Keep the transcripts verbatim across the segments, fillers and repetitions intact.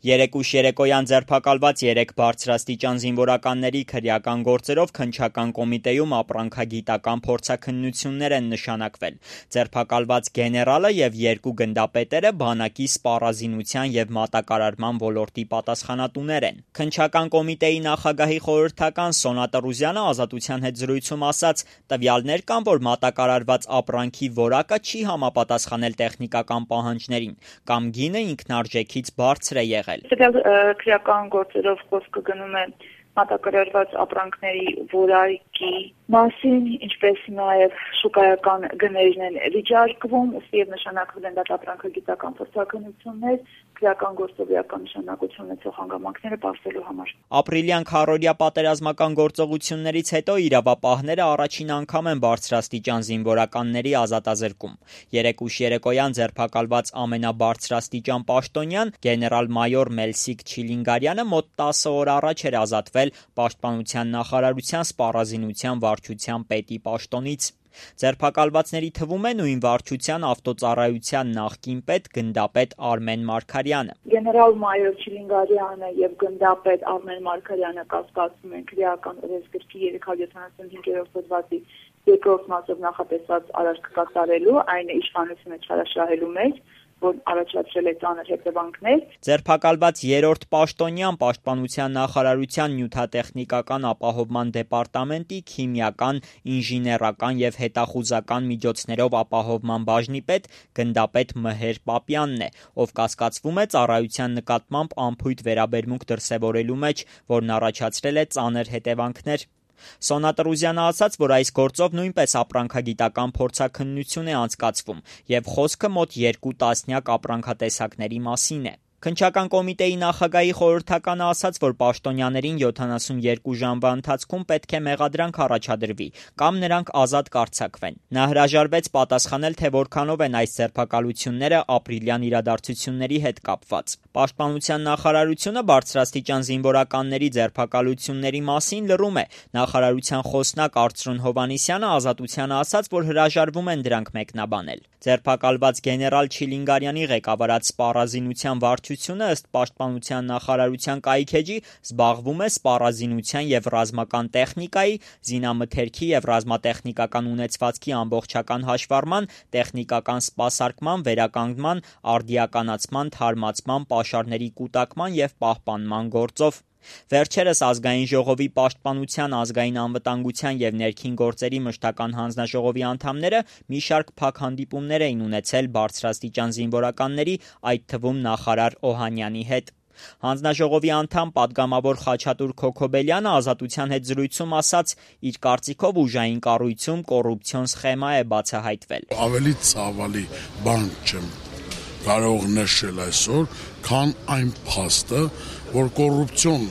Երեկ ուշ երեկոյան ձերբակալված երեք բարձրաստիճան զինվորականների քրեական գործերով քննչական կոմիտեում ապրանքագիտական փորձաքննություններ են նշանակվել։ Ձերբակալված գեներալը և երկու գնդապետերը բանակի սպառազինության և մատակարարման ոլորտի պատասխանատուներ են։ Քննչական կոմիտեի նախագահի խորհրդական Սոնա Տրուզյանը «Ազատության» հետ զրույցում ասաց. «Տվյալներ կան, որ մատակարարված ապրանքի որակը չի համապատասխանել տեխնիկական պահանջներին, կամ գինը ինքնարժեքից բարձր է եղել»։ Տվյալ քրեական գործերով խոսքը գնում է մատակարարված ապրանքների որակի մասին, ինչպես նաև շուկայական գներն են վիճարկվում, ուստի և նշանակվել են դատապրանքագիտական փորձաքննություններ, քրեական գործով էական նշանակություն ունեցող հանգամանքները պարզելու համար։ Ապրիլյան քառօրյա պատերազմական գործողություններից հետո իրավապահները առաջին անգամ են բարձրաստիճան զինվորականների ազատազրկում։ Երեկ ուշ երեկոյան ձերբակալված ամենաբարձրաստիճան պաշտոնյան գեներալ-մայոր Մելսիկ Չիլինգարյանը մոտ տասը օր առաջ էր ազատվել Պաշտպանության նախարարության սպառազինության վարչության պետի պաշտոնից։ Ձերբակալվածների թվում է նույն վարչության ավտոծառայության նախկին պետ գնդապետ Արմեն Մարգարյանը։ Գեներալ-մայոր Չիլինգարյանը եւ գնդապետ Արմեն Մարգարյանը կասկածում են քրեական օրենսգրքի երեք հարյուր յոթանասունհինգերորդ հոդվածի երկրորդ մասով նախատեսված արարք կատարելու, այն է իշխանությունը չարաշահելու մեջ, որ առաջացրել է ծանր հետևանքներ։ Ձերբակալված երրորդ պաշտոնյան Պաշտպանության նախարարության նյութատեխնիկական ապահովման դեպարտամենտի քիմիական, ինժեներական և հետախուզական միջոցներով ապահովման բաժնի պետ գնդապետ Մհեր Պապյանն է, ով կասկածվում է ծառայության նկատմամբ անփույթ վերաբերմունք դրսևորելու մեջ, որն առաջացրել է ծանր հետևանքներ։ Սոնա Տրուզյանը ասաց, որ այս գործով նույնպես ապրանքագիտական փորձաքննություն է անցկացվում, և խոսքը մոտ երկու տասնյակ ապրանքատեսակների մասին է։ Քննչական կոմիտեի նախագահի խորհրդականը ասաց, որ պաշտոնյաներին յոթանասունյոթ ժամվա ընթացքում պետք է մեղադրանք առաջադրվի կամ նրանք ազատ կարձակվեն։ Նա հրաժարվեց պատասխանել, թե որքանով են այս ձերբակալությունները ապրիլյան իրադարձությունների հետ կապված։ Պաշտպանության նախարարությունը բարձրաստիճան զինվորականների ձերբակալությունների մասին լռում է։ Նախարարության խոսնակ Արծրուն Հովհաննիսյանը «Ազատությանը» ասաց, որ հրաժարվում են դրանք մեկնաբանել։ Ձերբակալված գեներալ Չիլինգարյանի ղեկավարած սպառազինության վարչությունը ըստ Պաշտպանության նախարարության կայքէջի զբաղվում է սպառազինության և ռազմական տեխնիկայի, զինամթերքի և ռազմատեխնիկական ունեցվածքի ամբողջական հաշվառման, տեխնիկական սպասարկման, վերականգնման, արդիականացման, թարմացման, պաշարների կուտակման և պահպանման գործով։ Վերջերս Ազգային ժողովի Պաշտպանության, ազգային անվտանգության և ներքին գործերի մշտական հանձնաժողովի անդամները մի շարք փակ հանդիպումներ էին ունեցել բարձրաստիճան զինվորականների, այդ թվում նախարար Օհանյանի հետ։ Հանձնաժողովի անդամ պատգամավոր Խաչատուր Քոքոբելյանը «Ազատության» հետ զրույցում ասաց, իր կարծիքով ուժային կառույցում կոռուպցիոն սխեմա է բացահայտվել։ Ավելի ցավալի բան չեմ կարող նշել այսօր, քան այն փաստը, որ կոռուպցիոն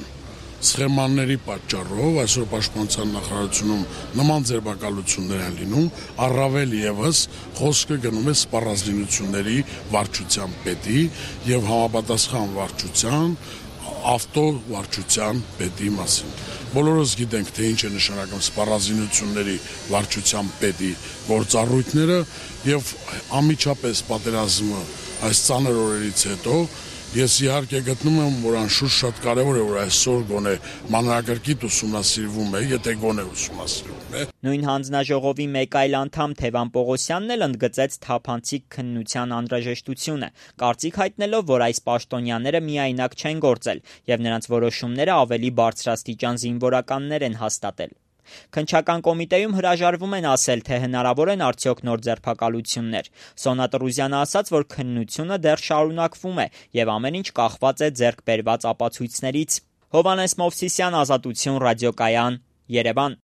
սխեմաների պատճառով այսօր Պաշտպանության նախարարությունում նման ձերբակալություններ են լինում, առավել ևս խոսքը գնում է սպառազինությունների վարչության պետի եւ համապատասխան վարչության ավտովարչության պետի մասին։ Բոլորս գիտենք, թե ինչ է նշանակում սպառազինությունների վարչության պետի գործառույթները եւ անմիջապես պատերազմը այս ծանր օրերից հետո ես իհարկե գտնում եմ, որ անշուշտ շատ կարևոր է, որ այսօր գոնե մանրակրկիտ ուսումնասիրվում է, եթե գոնե ուսումնասիրվում է։ Նույն հանձնաժողովի մեկ այլ անդամ Թևան Պողոսյանն էլ ընդգծեց թափանցիկ քննության անհրաժեշտությունը, կարծիք հայտնելով, որ այս պաշտոնյաները միայնակ չեն գործել եւ նրանց որոշումները ավելի բարձրաստիճան զինվորականներ են հաստատել։ Քննչական կոմիտեում հրաժարվում են ասել, թե հնարավոր են արդյոք նոր ձերբակալություններ։ Սոնա Տրուզյանը ասաց, որ քննությունը դեռ շարունակվում է եւ ամեն ինչ կախված է ձեռք բերված ապացույցներից։ Հովհաննես Մովսիսյան, Ազատություն, Ռադիոկայան, Երևան։